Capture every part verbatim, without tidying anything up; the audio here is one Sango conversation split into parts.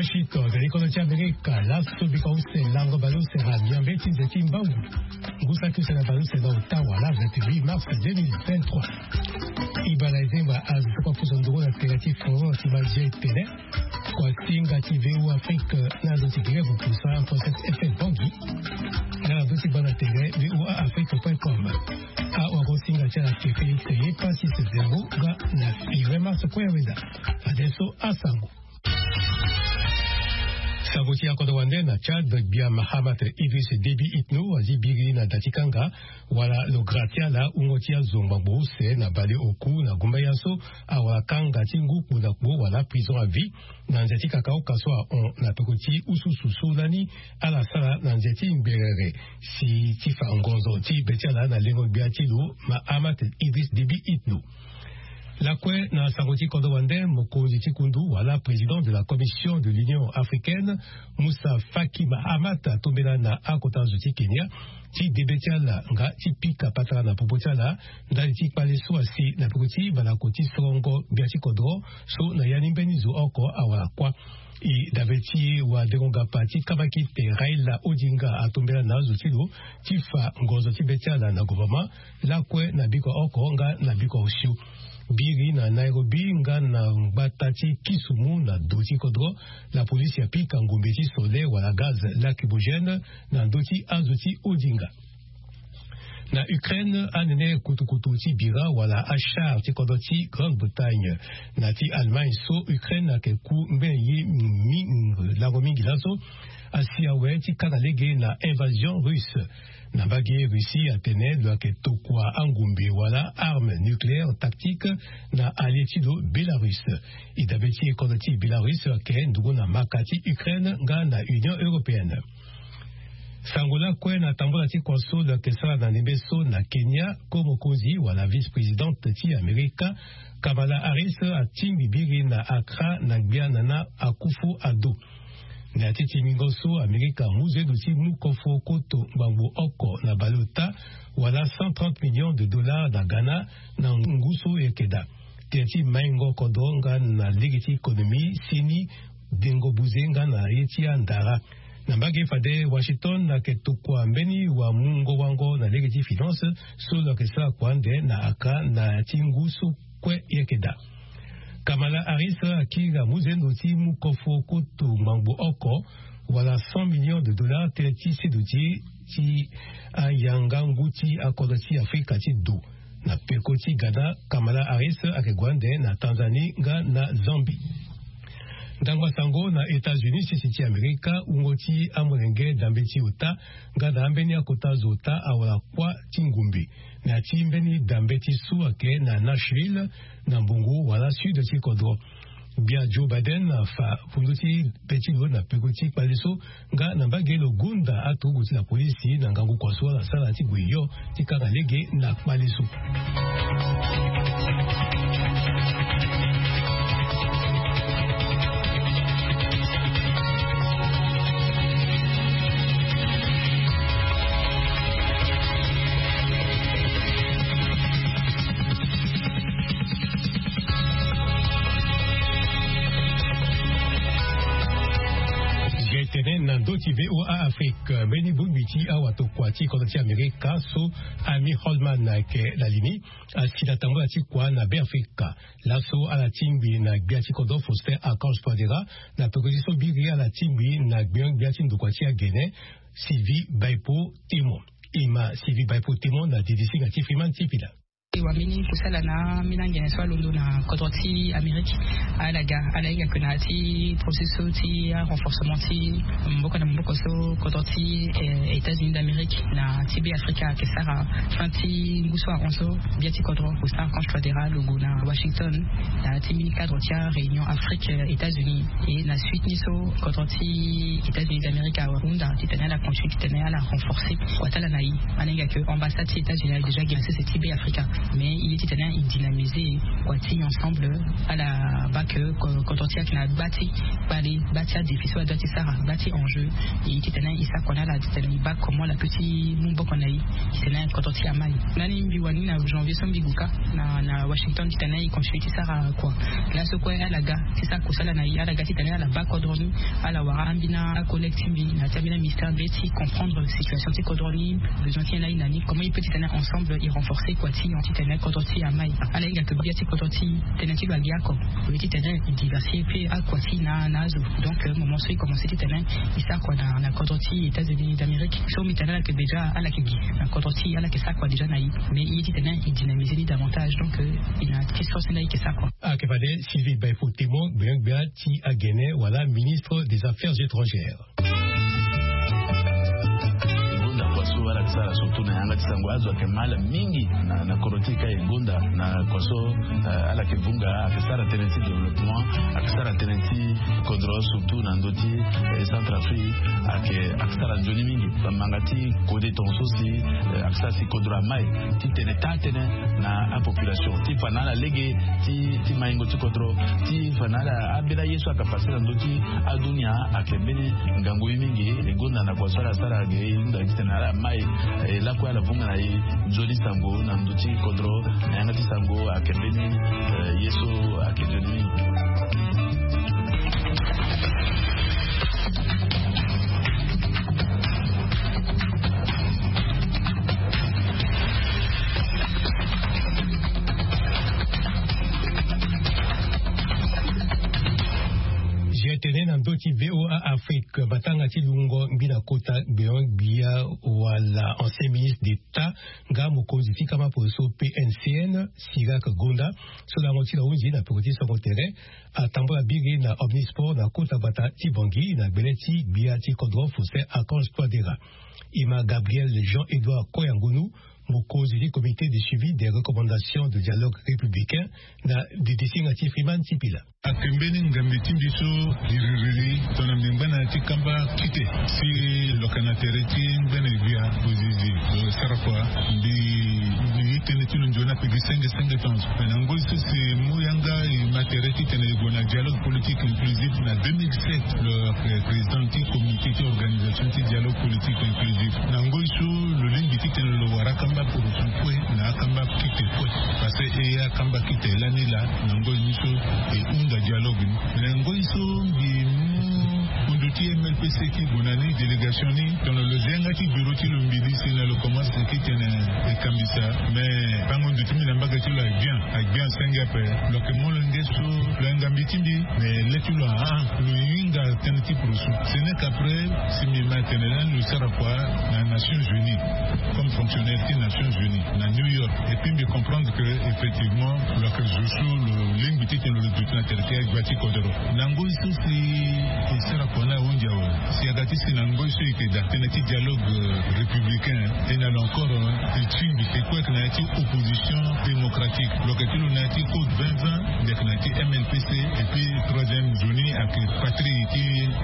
Washington, ozali kono ti Amerika, laso bika use lango baleuse na miambe ti nze ti mbangu. Ngusa ti use na baleuse na ota wala vingt-huit mars deux mille vingt-trois. Ibala ezengba azo ti kua puso nduru na tere ti foro ti mazi etene. Kua singa ti V O Afrique na azo ti grève puso en procès F M Bongi. Na azo ti bana tere V O A Afrique point com. Awa ko singa ti ala ke Félix ye pasi se zero ga na fire mars point weda. Adesso asango. Sango ti akodro wande na Tchad, gbia Mahamat Idriss Déby Itno azi biri na da ti kanga wala lo gratia la wungo ti azo ngbangbo use na bale oku na gumba ya so awara kanga ti ngu kpo na kpo wala prison à vie na nze ti kakaoka so ahon na peko ti ususu so lani ala sara na nze ti ngberere si ti fa ngonzo ti be ti ala na lengo gbia ti lo Mahamat Idriss Déby Itno. Lakue na sango ti kodro wande, mokonzi ti kundu wala président de la commission de l'Union africaine, Moussa Faki Mahamat, atombela na akota zo ti Kenya ti debe ti ala nga ti pika patara na popo ti ala ndali ti kpale so asi na peko ti balako ti sorongo gbia ti kodro so na ya ni mbeni zo oko awara kuâ. E dabe ti wadengo ngapa ti kabakite Raila Odinga atombela na azo ti lo ti fa ngonzo ti be ti ala na gouvernement lakue na biko oko nga na biko osio. Biri na Nairobi nga na ngbata ti Kisumu na do ti kodro, la polisi apika ngombe ti sole wala gaz lacrymogène na ndö ti azo ti Odinga. Na Ukraine, anene kutukutu ti bira wala achar ti kodro ti Grande-Bretagne na ti Allemagne so Ukraine ayeke ku mbeni ye mi-, lango mingi laso asi awe ti kanga lege na invasion russe. Na mbage Russie atene lo yeke tokua angombe wala arme nucléaire tactique na allié ti lo Bélarus. E dabe ti e kodro ti Bélarus ayeke nduku na maka ti Ukraine nga na Union européenne. Sango lakue na tambola ti kua so lo yeke sara na ndembe so na Kenya, ko mokonzi wala vice-présidente ti Amerika, Kamala Harris, atingbi biri na Accra na gbia Nana Akufo-Addo. Na ya ti tingbingo so Amerika amu zendo ti mu kofo koto ngbangbo oko na baleota wala cent trente millions de dollars na Ghana na ngu so e yeke daa. Tene ti maingo kodro nga na lege ti économie seni dengo buze nga na ye ti andara. Na mbage fade Washington ayeke tokua mbeni wamungo wango na lege ti finance so lo yeke sara kua ande na Accra na ya ti ngu so kue e yeke daa. Kamala Harris akiri amu zendo ti mu kofo koto ngbangbo oko wala cent millions de dollars tënë ti seduti ti ayanga ngu ti akodro ti Afrika ti do. Na peko ti Ghana, Kamala Harris ayeke gue ande na Tanzanie nga na Zambie. Ndangba sango na États-Unis, sese ti Amerika, wungo ti amolenge dambe ti ota nga na ambeni akota zo ota awara kuâ ti ngumbe. Na ya ti mbeni dambe ti so ayeke na Nashville na mbongo wala sud ti kodro. Gbia Joe Biden afa fundu ti be ti lo na peko ti kpale so nga na mbage lo gonda aturugu ti la polisi na ngangu kua so ala sara ti gue yo ti kanga lege na kpale so. Ge tene na ndö ti V O A Afrique, mbeni bongbi ti awatokua ti kodro ti Amerika so Amir Holman ayeke na li ni, asi na tambola ti kua na Beafrika. Laso ala tingbi na gbia ti kodro Faustin Archange Touadéra na peko ti so biri ala tingbi na gbengbia ti ndokua ti agene, Sylvie Baipo Témon. E ma Sylvie Baipo Témon na didisinga ti Freeman Tipila. E wambeni kusala na ambeni angene so alondo na kodro ti Amérique. Ala ga, ala hinga ke na ya ti processus so ti arenforcement ti maboko na maboko so kodro ti, eh, États-Unis d'Amérique na ti Beafrika ayeke sara fin ti ngu so ahon so. Gbia ti kodro Faustin Archange Touadéra lo gue na Washington na ya ti mbeni cadre ti aréunion Afrique, eh, États-Unis. E na suite ni so kodro ti États-Unis d'Amérique ahunda titene ala continue titene ala renforcer kua ti ala na e. Ala hinga ke ambassade ti États-Unis ayeke déjà gi na sese ti Beafrika. Mais il est titane il dynamiser quoi ti ensemble. Ala bake. Kodro ti ayeke na gba ti kpale, gba ti adéfi so adua ti sara, gba ti enjeu. Il est titane il sa quoi na ala titane il bake comment la petit mou boko na ye. Titane kodro ti amai nani mbi wani na janvier so mbi guka na na washington titane il continue ti sara quoi. Là so kue ala ga ti sa kosala na ye ala ga titane ala bake kodro ni. Ala wara ambina akollègue ti mbi na ti ambina ministère mbi ti comprendre situation ti kodro ni. Besoin ti ye na ye na ni comment il peut titane ensemble il renforcer quoi ti titane kodro ti amai. Ala hinga ke bia ti kodro ti tene ti lo agi ako. Au lieu titene il diversifie pe akua ti na na azo. Donc moment so il commence titene il sa kua na na kodro ti états-unis d'amérique so mbi tene ala ke déjà ala ke gi na kodro ti ala ke sa kua déjà na ye. Mais il titene il dynamiser ni davantage donc il na ti source na ye ke sa kua. Ake fade sylvie baifo témoin gbengbe ti agene wala ministre des affaires étrangères. Gonda kua so ala ke sara surtout na yanga ti sango azo ayeke mal mingi na kodro ti e ka e gonda na kua so ala ke vunga ayeke sara tënë ti développement ayeke sara tënë ti kodro surtout na ndö ti centre afrique. Ayeke ayeke sara nzoni mingi bamanga ti kode tonga so si ayeke sara si kodro amai ti tene taa tënë na apopulation ti fa na ala lege ti maingo ti kodro ti fa na ala ambeni aye so ayeke pase na ndö ti adunia. Ayeke mbeni ngangu ye mingi e gonda na kua so ala sara ge e hunda titene ala mai e lakue ala vunga na e nzoni sango na ndö ti kodro na yanga ti sango ayeke mbeni ye so ayeke nzoni mingi. Zia tene na ndö ti voa afrique matanga ti lungo ngbi na kota gbeon gbia wala ancien ministre d'état nga mokonzi ti kama poso pncn sirak gonda so lango ti lo ahunzi na peko ti songo tere atambula biri na omnisport na kota bata ti bangi na gbele ti gbia ti kodro faustin archange toidera. Ima gabriel jean édouard koyangonu mokonzi ti comité de suivi des recommandations de dialogue républicain na didisinga ti freeman ti pila. Ake mbeni ngambi ti mbi so iririri tongana mbi ngba na ya ti kamba kite si loka na tere ti ngbene gbia ozizi lo sara kua mbi mbi ye tënë ti lo nzoni ape gi senge senge tonso. Mais na ngoi so si mu yanga e ma tere titene e gue na dialogue politique inclusif na deux mille sept lo président ti comité ti organisation ti dialogue politique inclusif na ngoi so lo lingbi titene lo wara akamba poroso kue na akamba kite kue. Parce que e akamba kite lani laa na ngoi ni so e hunda dialogue ni. Mais na ngoi so mbi mu ndu ti mlpc ti gue na ni délégation ni tongana lo zi yanga ti bureau ti lo mbi ni si na lo commence ti tene e kambisa. Mais bango ndu ti mbi na mbaga ti lo agbia agbia senge ape. Lo yeke molenge so lo yanga mbi ti mbi. Mais le ti lo ahah lo hinga tënë ti poroso. Ce n'est qu'après si mbi ma tene lani lo sara kua na nations unies comme fonctionnaire ti nations unies na new york. Et puis mbi comprendre que effectivement lo yeke zo so lo lingbi titene lo duti na tere ti agbia ti kodoro. Na ngoi so si e sara kua na ahunzi awe si aga ti si na ngoi so e yeke daa tënë ti dialogue républicain. E na lo encore e tingbi e kue yeke na ya ti opposition démocratique. Lo yeke ti lo na ya ti code vingt vingt. Mbi yeke na ya ti mlpc. Et puis troisième nzoni ayeke patrie ti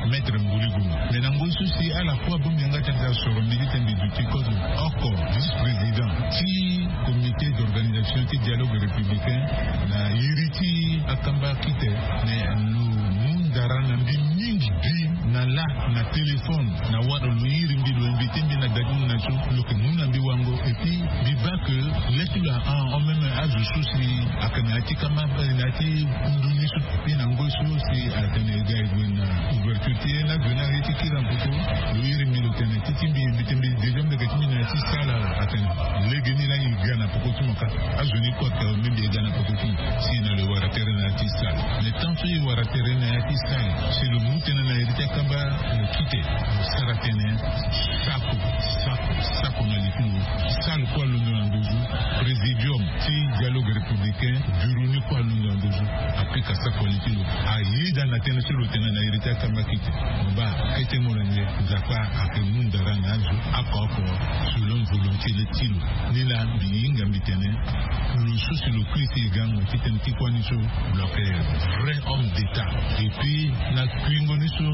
maître mbuli gulu. Mais na ngoi so si ala kue abongbi yanga tene ti asoro mbi titene mbi duti kozo oko vice-président ti comité d'organisation ti dialogue républicain na iri ti akamba kite. Mais lo mu ndara na mbi mingi bi na la na téléphone na wara lo iri mbi lo invité mbi na da ti mbi na so lo yeke mu na mbi wango. Et puis mbi baa que le ti lo ahah en même azo so si ayeke na ya ti kamba na ya ti kundu ni so. Mbi na ngoi so si atene e ga e gue na ouverture ti e na gue na ye ti kiri na peko. Lo iri mbi lo tene ti ti mbi mbi tene mbi déjà mbi yeke ti mbi na ya ti sala atene lege ni laa e ga na peko ti mo ka. Azo ni kue ayeke awe mbi mbi e ga na peko ti mo si e na lo e wara tere na ya ti sala. Mais tant so e wara tere na ya ti sala si lo mu tënë na iri ti akamba lo kite lo sara tënë sako sako sako na li ti lo. Sala kue alondo na ndozu présidium ti dialogue républicain bureau ni kue alondo na ndozu. Apika sako ali ti lo ayeda na tënë so lo tene na iri ti akamba kite. Mba kete molenge nzapa ayeke mu ndara na azo oko oko selon volonté ti lo. Ni laa mbi hinga mbi tene lo so si lo kui si e gango ti tene ti kuâ ni so lo yeke vrai homme d'état. Et puis na kuingo ni so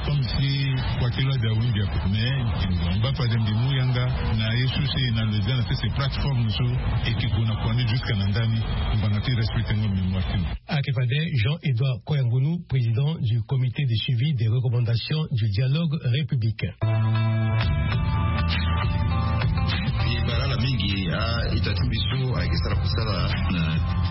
Comme si kua ti lo ade awingi ape, mais mba fade mbi mu yanga na ye so si e na lezana ti se plateforme so e ke gue na kua ni jusqu'à na ndani. Ngbanga ti respecte ngo mémoire ti mo. Ayeke fade Jean-Édouard Koyangunu, président du comité de suivi des recommandations du dialogue républicain. E bara ala mingi a-ita ti mbi so ayeke sara kusala na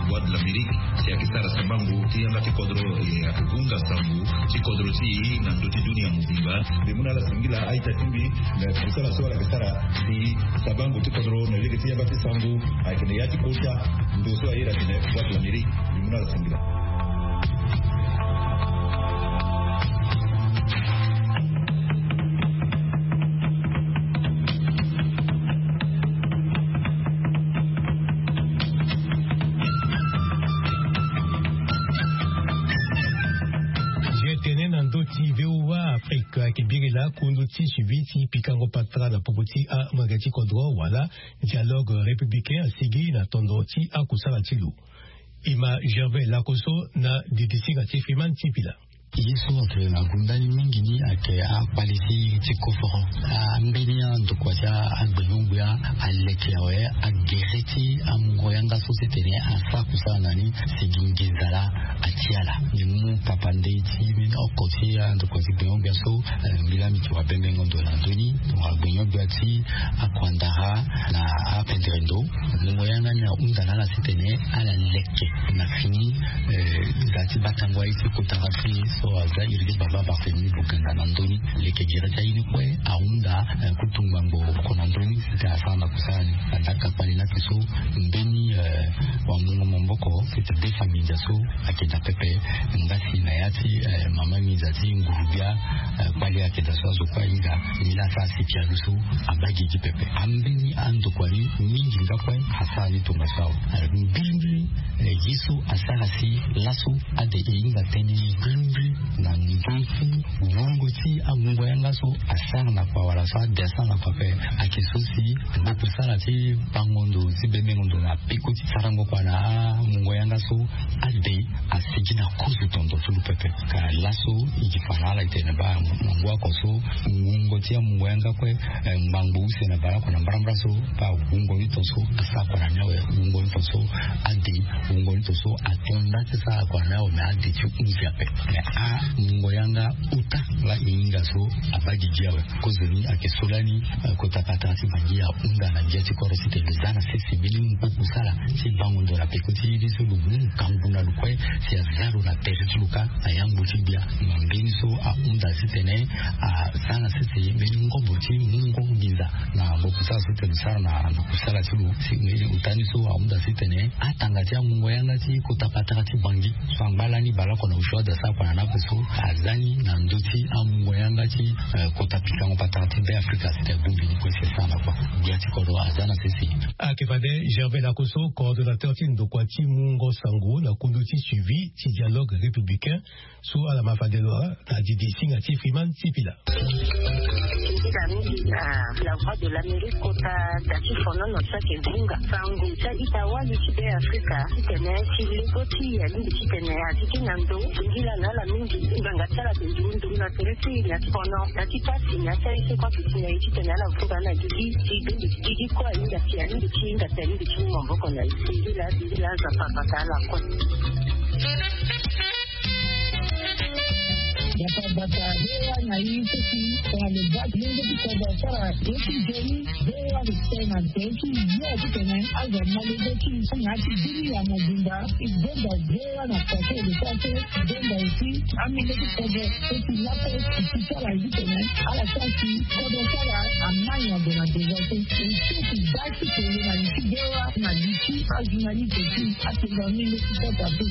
Voix de l'Amérique, si ayeke sara sambango ti yanga ti kodro, e ayeke hunga sango ti kodro ti e na ndö ti dunia mobimba. Mbi mu na ala singila a-ita ti mbi na kusala so ala yeke sara si sambango ti kodro na lege ti yanga ti sango ayeke na ya ti kota ndo so aye na tene Voix de l'Amérique. Mbi mu na ala singila. Nzia tene na ndö ti V O A Afrique ayeke biri laa kundu ti suivi ti pikango patara na popo ti amolenge ti kodro wala dialogue républicain asigi na tondo ti akusala ti lo. E ma Gervais Lakoso na didisinga ti Freeman ti pila. Ye so atene na gunda ni mingi ni ayeke akpali ti ti koforo. Ambeni andokua ti agbenyo-gbia aleke awe agere ti amungo yanga so ti tene asara kusala na ni si gi nginza laa. Ati ala ni mu papa ndei ti mbeni oko ti andokua ti gbenyo-gbia so. Mbi laa mbi ti wa bembengo ndo na ndö ni tongana gbenyo-gbia ti akuandara na apendere ndo. Mungo yanga ni ahunda na ala ti tene ala leke na fini. Nda ti batango aye ti kota rapide so aza iri ti baba Barthélemy Boganda na ndö ni. Leke gere ti aye ni kue ahunda kutu ngbangbo oko na ndö ni. Site asara na kusala ni na ndaka kpali laki so mbeni wamungo maboko site de famille ndia so. Ayeke daa pepe. Nga si na ya ti mama nginza ti nguru-gbia kpali ayeke daa so azo kue ahinga. Ni laa asara sipia ni so abaa gigi pepe. Ambeni andokua ni mingi nga kue asara ni tongaso awe. Mbilimbili ye so asara si laso ade e hinga tënë mbilimbili na ndö ti wungo ti amungo yanga so asara na kua wala so ade asara na kua ape. Ayeke so si ngboko sara ti bango ndo ti bembengo ndo na peko ti sarango kua na amungo yanga so ade asigi na kozo tondo ti lo pepe. Ka laso e gi fa na ala e tene baa na ngu oko so wungo ti amungo yanga kue. Ngbangbo use na bale oko na mbarambara so baa wungo ni ton so asara kua na ni awe. Wungo ni ton so ade wungo ni ton so ato nda ti sara kua na ni awe me ade ti hunzi ape. Me amungo yanga ota laa e hinga so abaa gigi awe. Kozoni ayeke so lani kota patara ti bangi ahunda na ngia ti kodro ti tene lo za na sese mbeni ngu kusala ti bango ndo na peko ti ye ni so lo mu ngangu na lo kue si aza lo na tere ti lo kâ na yangbu ti gbia. Na mbeni so ahunda ti tene aza na sese mbeni ngombo ti mungo nginza na ngboko sara so tene lo sara na kusala ti lo si mbeni ota ni so ahunda ti tene atanga ti amungo yanga ti kota patara ti bangi so angba lani baleoko na osio ade asara kua na ni ape so aza ni na ndö ti amungo yanga ti kota pikango patara ti Be Afrika site abongbi ni kue si asara na kua. Gbia ti kodro aza na sese. Ayeke fade Gervais Lakoso, coordonnateur ti ndokua ti mungo sango na kundu ti suivi ti dialogue républicain so ala ma fade lo na didi singa ti Freeman ti pila. Mingi na La Voix de l'Amérique kota da ti fonono so ayeke hunga sango ti a-ita wali ti Be Afrika titene ti lego ti e alingbi titene azi ti na ndo. Singila na ala mingi ngbanga ti ala ayeke nduru nduru na tere ti e na ti fono na ti pasi na ti aye so kue ayeke si na e titene ala vunga na gigi ti bendo ti gigi kue ahinga si alingbi ti hinga si alingbi ti mu maboko na e. Singila singila Nzapa abata ala kue. Bata bata he wa na ye so si tongana lo baa ti lenge ti kodro asara ye ti nzoni. He wa lo tene na nzoni ti yo titene azo amolenge ti e na ya ti dunia mobimba. E benda he wa na pase lo sara so. E benda aussi amolenge ti kodro so si lape e si sara ye titene ala sara si kodro sara amai na gue na devant so. E so si baa ti kele na li ti he wa na li ti ajournaliste ti atenda amolenge ti kota so.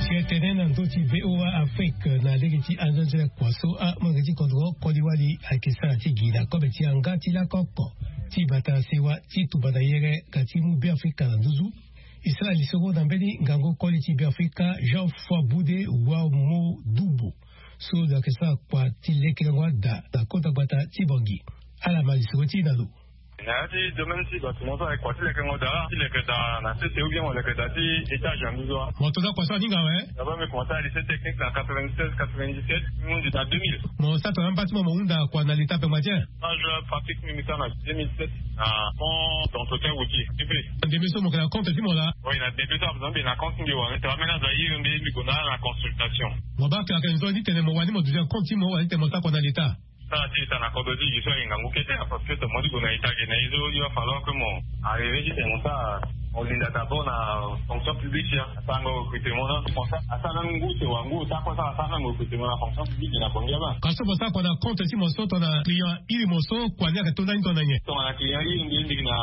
Si e tene na ndö ti V O A Afrique na lege ti anzonzela kua so amolenge ti kodro koli wali ayeke sara ti gi na kobe ti yanga ti lako oko ti bata sewa ti tumba na yere ka ti mu Be Afrika na nduzu. E sara lisoro na mbeni ngangu koli ti Be Afrika Jean Foi Boude Wamodubo so lo yeke sara kua ti lekerengo ada na kota gbata ti Bangui. Ala ma lisoro ti e na lo. Na ya ti domaine ti bâtiment so ayeke kua ti lekengo daa ti leke daa na sese ou bien mo leke daa ti étage na nduzu wa. Mo to daa kua so aninga awe. D'abord mbi commencé na lycée technique na quatre-vingt-seize quatre-vingt-dix-sept. Mbi hundi na deux mille. Mo sara tongana amba ti mo mo hunda kua na leta pengba ti e? Moi je pratique mbi sara na deux mille sept na pont d'entretien routier. Ndembe so mo yeke na compte ti mo laa? Oui na ndembe so ape mbi na compte ti mbi wani tongana ambeni azo airi mbi mbi gue na ala na consultation. Mo baa ke ayeke nzoni titene mo wani mo duti na compte ti mo wala titene mo sara kua na leta? Sara ti leta na kodro ti gi so aye ngangu kete. Parce que tongana mo ti gue na leta ge na ye so il va falloir que mo arriver titene mo sara mo linda d'abord na fonction publique ya. Asarango recrutement na comme ça asara même ngu te wa ngu ota kue sara asara même recrutement na fonction publique na bongi aba. Ka so mo sara kua na compte ti mo so tongana client iri mo so kua ni ayeke to ndani tongana nyen? Tongana client iri mbi lingbi na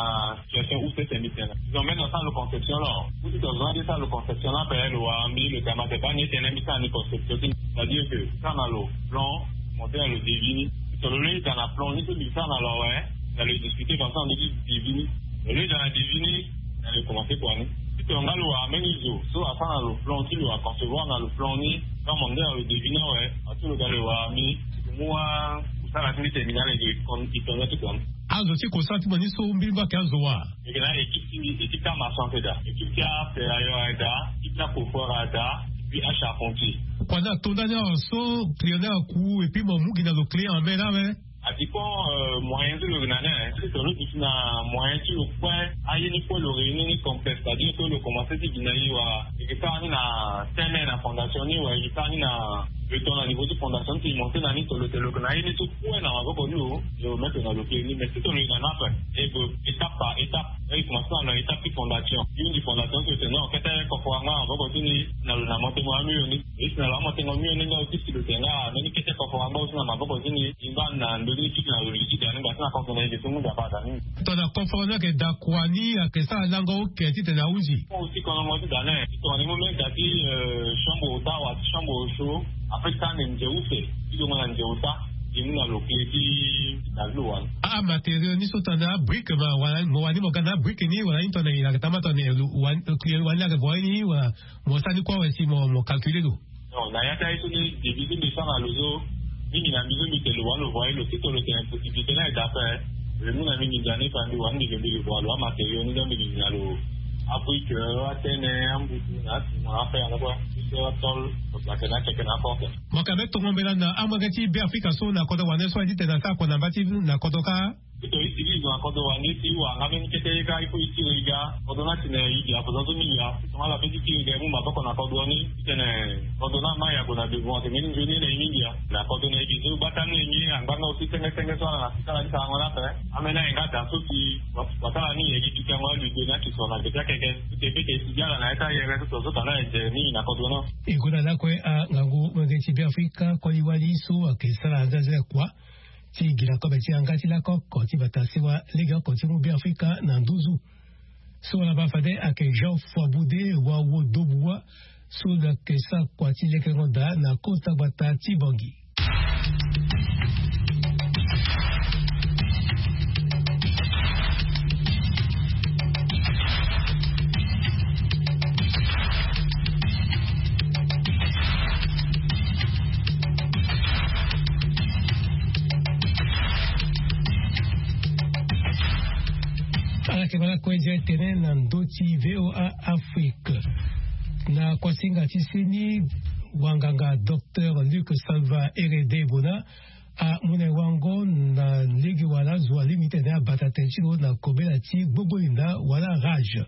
situation use tene mbi tene ils ont même asara lo conception lo. Ou ti tongana mbi sara lo conception lo ape lo wara mbi lo tene ma te baa ni e tene mbi sara ni conception ti mbi c'est à dire que sara na lo plan. Monté na lo devis ni. Tongana lo lei daa na plan ni so mbi sara na lo awe na lo e discuter comme ça na ndö ti devis ni. Lo lei daa na devis ni na lo e commencer kua ni. Si tongana nga lo wara mbeni zo so asara na lo plan ti lo aconcevoir na lo plan ni. Nga mo nde na lo devis ni awe. Aso lo daa lo e wara mbi. Ti ko mu wa. Kosala ti mbi tene mbi na ala e tonga ti kua ni. Azo ti kosala ti mo ni so mbiri mbi ayeke azo wa? Mbi yeke na équipe ti mbi équipe ti amaçon ayeke daa équipe ti aferrailleur ayeke daa équipe ti acoffreur ayeke daa. Puis acharpentier. Kua ni ato ndani awe so client ni aku et puis mo mu gi na lo client en main ni awe? Adépend moyen ti lo yeke na ni awe. Si tongana lo duti na moyen ti lo kue aye ni kue lo réunir ni complexe c'est à dire que lo commencer ti gi na ye wala e yeke sara ni na terme na fondation ni wala e yeke sara ni na le temps na niveau ti fondation ni ti monter na ni tongana lo tene lo yeke na ye ni so kue na maboko ni lo. Yo mete na lo kiri ni mais si tongana lo yeke na ni ape e gue étape par étape. E commencer na lo na étape ti fondation. Ye ni fondation so e tene non kete kofo angba na maboko ti ni. Na lo na motengo ya mio ni. E si na lo amotengo mio ni nga lo ti si lo tene nga mbeni kete kofo angba aussi na maboko ti ni. E ngba na ndö ni ti na lo li ti da ni ngba ti na kofo na ye ge so mu da baa da ni. Tongana kofo ni ayeke da kua ni ayeke sara lango oke titene ahunzi. Aussi kono mo ti da ni tongana e mu mbeni da ti chambre ota wala ti chambre chaud. Après ti tanga ndia use ti dongo na ndia ota. Ti mu na lo clé ti da ti lo wani. Amatériau ni so tongana abrique ma wala mo wani mo ga na abrique ni wala ni tongana e yeke tama tongana e wani client wani ayeke voye ni wala mo sara ni kue awe si mo mo calculer lo. Non na ya ti aye so ni devis so mbi sara na lo so. Mingi na mbi so mbi tene lo wani lo voye lo si tongana lo tene possibilité ni aye da ape. Lo mu na mbi nginza ni fa mbi wani mbi lo mbi lo voye lo amatériau ni donc mbi nginza lo. Abrique atene ambutu na asima ape anda kue. Biso atol. Lo place na akeke na aporte. Mo yeke ambeni tongo mbela na amolenge ti Beafrika so na kodro wande so aye titene asara kua na mba ti na kodro kâ. Titene e sigi e zo na kodro wande si e wara nga mbeni kete ye kâ il faut e tiri e ga. Kodro ni atene e gi akozon so mingi laa. Tongana ala pe ti kiri ga e mu maboko na kodro ni titene kodro ni ama e ague na devant tene mbeni nzoni ye na e mingi laa. Na kodro na e gi so gbata ni e nyen angba nga aussi senge senge so ala na sika ala ti sarango ni ape. Ambeni aye nga da so si wasara ni e gi pikango aludo ni akisoro na gbe ti akeke. Titene e pe ti e sigi ala na ya ti ayere so tonga so tana e jere mingi na kodro ni. E gue na lakue angangu molenge ti Beafrika koli wali so ayeke sara aza aza kua. Ti gi na kobe ti yanga ti lakoko ti bata sewa lege oko ti mu Beafrika na nduzu. So wala baa fade ayeke Jean Foiboude Wawo Dobuwa. So lo yeke sara kua ti lekengo daa na kota gbata ti Bangui. Ala yeke ma lakue nzia tene na ndö ti VOA Afrique. Na kuasinga ti seni wanganga docteur Luc Salva Herede Bona amu na e wango na lege wala zo alingbi titene abata tene ti lo na kobela ti gbogbolinda wala rage.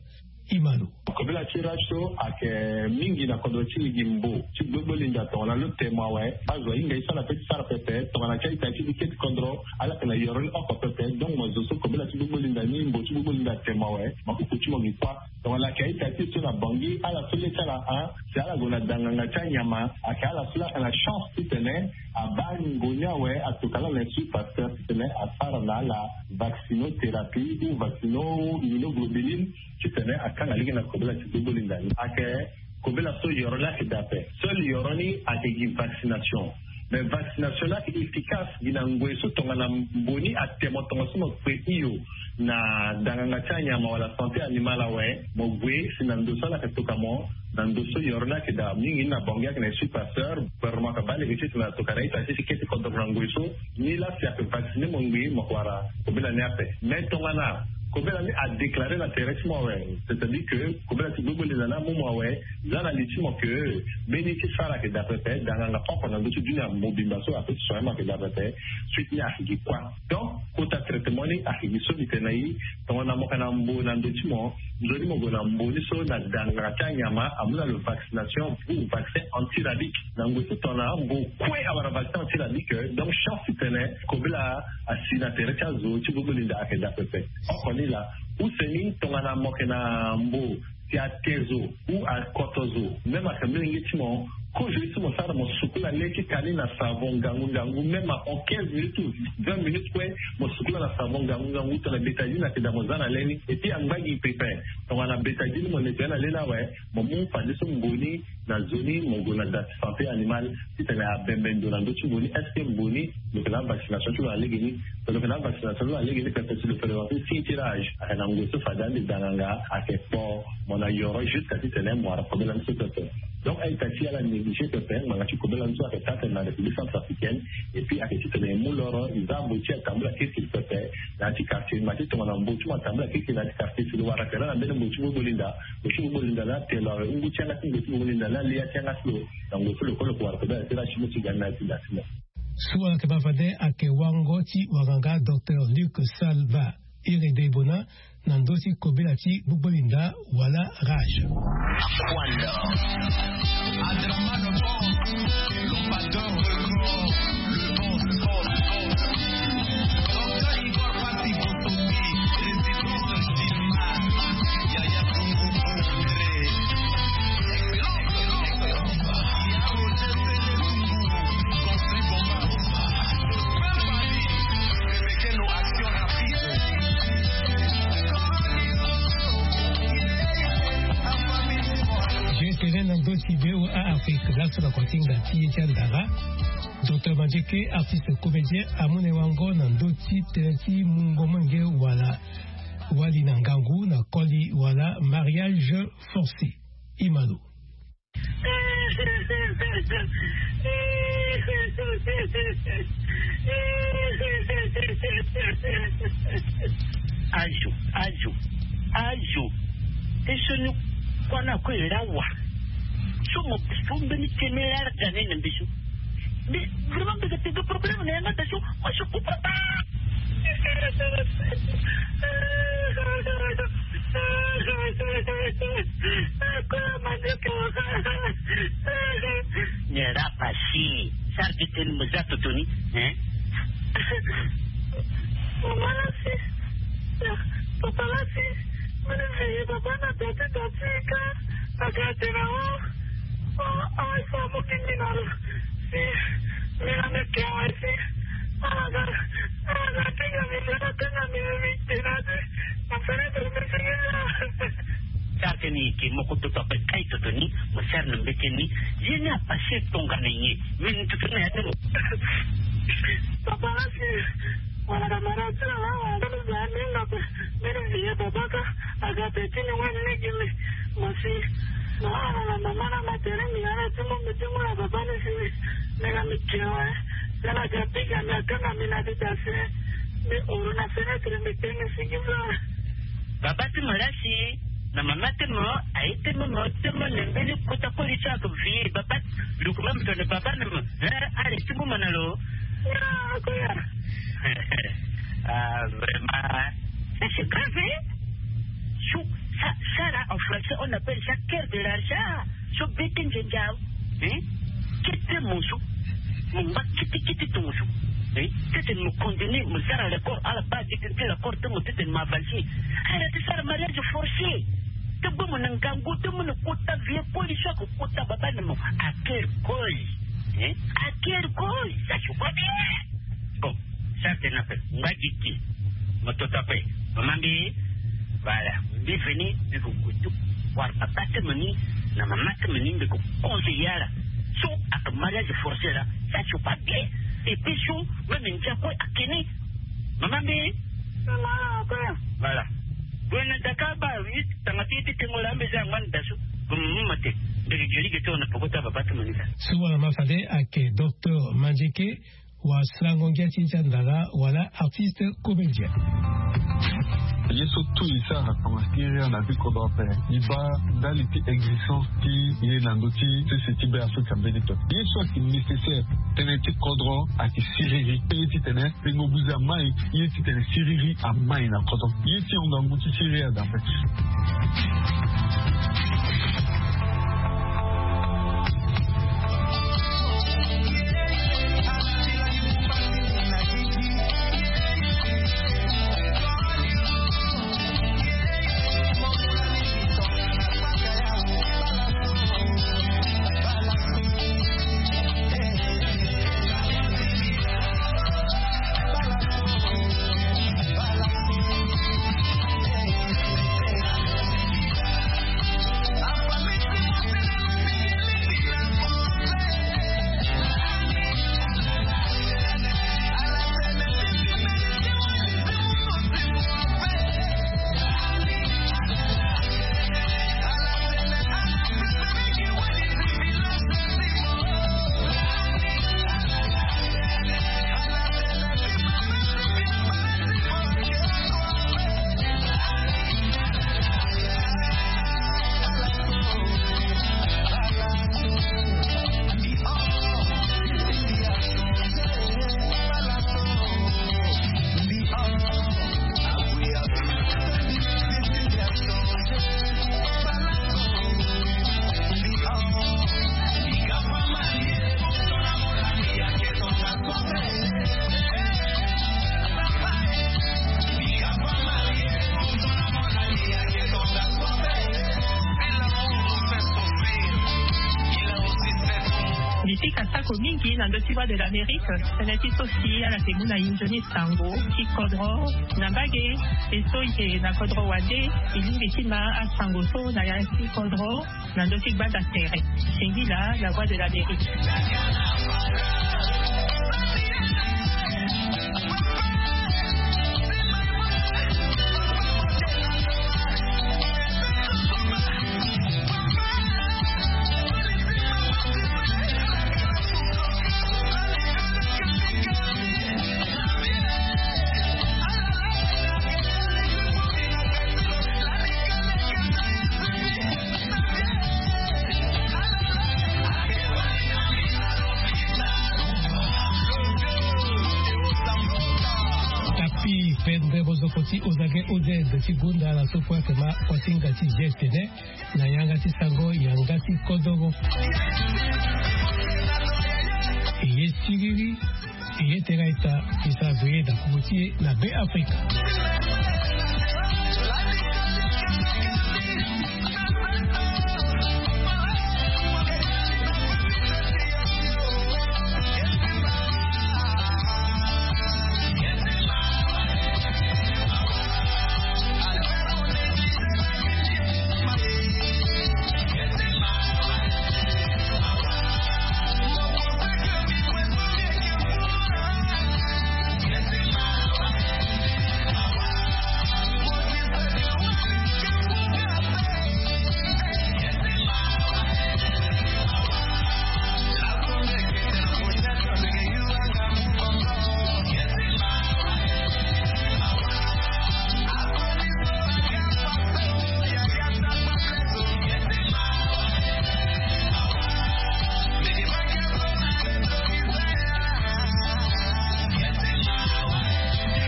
Imalo. Kobela ti rage so ayeke mingi na kodro ti e gi mbo ti gbogbolinda tongana lo te mo awe. Azo ahinga ye so ala pe ti sara pepe tongana ti a-ita ti e keti kodro ala yeke na yoro ni oko pepe. Donc mo zo so kobela ti gbogbolinda ni mbo ti gbogbolinda ate mo awe. Makuku ti mo gi kuâ. Tongana ayeke a-ita ti e so na Bangui ala so le ti ala a si ala gue na danganga ti anyama ayeke ala so la ayeke na chance titene abaa ngu ni awe. Atoka ala na institut Pasteur titene asara na ala vaccinothérapie ou vaccino immunoglobuline. Titene akanga lege na kobela ti gbogbolinda ni ayeke kobela so yoro ni ayeke daa ape. Seul yoro ni ayeke gi vaccination. Mais vaccination ni ayeke efficace gi na ngoi so tongana mbo ni ate mo tongaso mo kpe hio na danganga ti anyama wala santé animale awe. Mo gue si na ndo so ala yeke toka mo. Na ndo so yoro ni ayeke daa mingi ni na bangi ayeke na esprit pasteur. Gouvernement ayeke baa lege ti tena tokana ita ti ti kete kodoro na ngoi so ni laa si ayeke vacciner mo ngbii mo yeke wara kobela ni ape. Mais tongana kobela ni adéclarer na tere ti mo awe, c'est-à-dire que kobela ti gbogbo linda ni amu mo awe, za na li ti mo ke mbeni ti sara ayeke daa pepe. Danganga oko na ndö ti dunia mobimba so ape ti soin mo ayeke daa pepe. Suite ni ayeke gi kua. Donc kota traitement ni ayeke gi so mbi tene na i. Tongana mo yeke na mbo na ndö ti mo, nzoni mo gue na mbo ni so na danganga ti anyama amu na lo vaccination ou vaccin antirabique. Na ngoi so tongana mbo kue awara vaccin antirabique, donc chance ti tene kobela asi na tere ti azo ti gbogbo linda ayeke daa pepe. Oko ni laa. Use ni tongana mo yeke na mbo si ate zo ou akoto zo, même ayeke molenge ti mo, kozo ye so mo sara mo sukula le ti ka ni na savon ngangu ngangu, même en quinze minutes ou vingt minutes kue mo sukula na savon ngangu ngangu tongana bétadine ayeke daa mo za na le ni. Et puis angba gi pepe. Tongana bétadine mo nettoyer na le ni awe, mo mu fadeso mbo ni na zo ni mo gue na da ti santé animale ti tene abembe ndo na ndö ti mbo ni. Est-ce que mbo ni lo yeke na avaccination ti lo na lege ni? So lo yeke na avaccination ti lo na lege ni pepe si lo présenter signe ti rage ayeke na ngoi so fade ande danganga ayeke kpo mo na yoro jusqu'à ti tene mo wara kobela ni so pepe. Donc a-ita ti ala négliger pepe ngbanga ti kobela ni so ayeke taa tene na République centrafricaine. Et puis ayeke ti tene e mu loro e za mbo ti atambula kirikiri pepe na ya ti quartier. Ma ti tongana mbo ti mo atambula kirikiri na ya ti quartier si lo wara tere na mbeni mbo ti gbogbo linda. Mbo ti gbogbo linda ni ate lo awe ngu ti yanga ti mbo ti gbogbo linda ni ali ya ti yanga ti lo. Na ngoi so lo kue lo yeke wara kobela ti rage ti mo ti ga ni na ya ti da ti mo. So ala yeke baa fade ayeke wango ti wanganga docteur Luc Salva. Iri de bona na ndö ti kobela ti gbogbo linda wala rage. Jeu tene na ndö ti V O A Afrique laso na kotinga ti ye ti andara. Docteur Mandieke, artiste comédien, amu na e wango na ndö ti tënë ti mungo molenge wala wali na ngangu na koli wala mariage forcé. Imalo. Azo, azo, azo. Te so ni kuâ na kue e laa wa. So mo so mbeni tënë laa da ni na mbi so. Mais vraiment mbi ga tene problème na yanga da so. Moi je comprends pas. Nyen laa pasi? Sara ti tene mo za toto ni, hein? Mama lasi. Papa lasi. Mene veillé papa na dati dati ka. Aga tena o. O, o, so mo kingi na lo. Si. Mena me ke wa si. Aga. Aga, kinga mi, aga, kinga mi, mi, mi, tena de. Mo fere de, mi, mi, mi, mi. Sara tene e yeke moko toto ape kai toto ni, mo sara na mbeti ni. Ye ni apase tongana nyen? Mbi ni toto ni na ya ti mo. Papa lasi, wala na mara ti na la, wala na mara ti na pe. Mbi ni vieux papa ka, aga pe ti ni wani ni gi mi. Mo si, na wala na mama na ma tere mbi na la ti mo mbi ti mo na papa ni si mi. Mbi na mbi ke wa, na la ga piga mbi akanga mbi na ti ta se. Mbi oro na fenêtre mbi tenge si gi fla. Baba ti mo lasi na mama ti mo aye ti mo mo ti mo na mbeni kota koli ti ako vie baba. Luku même tone baba ni mo. Eh, allez ti mo mo na lo. Ah, vraiment. Ça c'est grave, hein? Sou, ça, ça là en français on appelle ça cœur de l'argent. So bete nzenza. Hein? Kete mo so. Mo ngba kete kete tongo so. Hein? Tete mo condamné mo sara l'accord ala ba tete te l'accord te mo tete mo avancer. Ala ti sara mariage forcé. Te gbo mo na ngangu te mo na kota vie koli so ako kota baba na mo. À quel koli? Hein? À quel koli? Ça je vois bien. Bon, sara tene ape ngba gigi. Mo toto ape. Mama mbi. Voilà. Mbi veni mbi ko kutu. Wara papa ti mo ni na mama ti mo ni mbi ko conseiller ala. So aka mariage forcé la, ça c'est pas bien. Et puis so même ndia ko akeni. Mama mbi. Voilà. Gue na daka ba mi tanga ti ti tengo la mbi za ngban dasu. Mama te. Ndege gelige te wana poko ta baba te manika. Suwa na ma fade ake docteur Mandieke. Wa slango ngia ti ndia ndala wala artiste comédien. Ye so tout e sara na kama ti ria na vie kodro ape. E baa ndali ti existence ti ye na ndö ti sese ti be afrika mbeni to. Ye so ayeke nécessaire tënë ti kodro ayeke siriri. Ye titene pengo buze amai. Ye titene siriri amai na kodro. Ye ti honga ngu ti siriri adambe. Bisika sako mingi na ndö ti Voix de l'Amérique. Tënë ti so si ala yeke mu na inzo ni sango ti kodro na mbage. E so e yeke na kodro wande, e lingbi ti ma asango so na ya ti kodro na ndö ti gbanda tere. Singila, la Voix de l'Amérique. Tapi pendre bozoko ti ozage oded ti gunda na so kue ake ma kuasinga ti geste ne na yanga ti sango yanga ti kodoro. Eye siriri. Eye tera ita. Esa veye da kuku ti e na be afrika.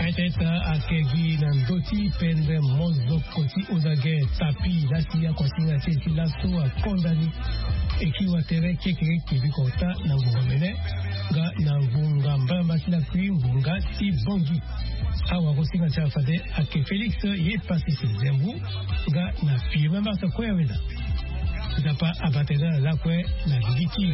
Aita ita ake gi na ndö ti pendre mozoko ti ozage tapi lasi akuasinga ti e ti laso akonda ni. Eki watere kekere kebi kota na ngonga mene nga na ngonga mbamba ti lakui ngonga ti bongi. Awa kosinga ti ala fade ake Félix ye pasi si zembu nga na pie mamba sa kue aweda. Nzapa abatela na lakue na gigi ti.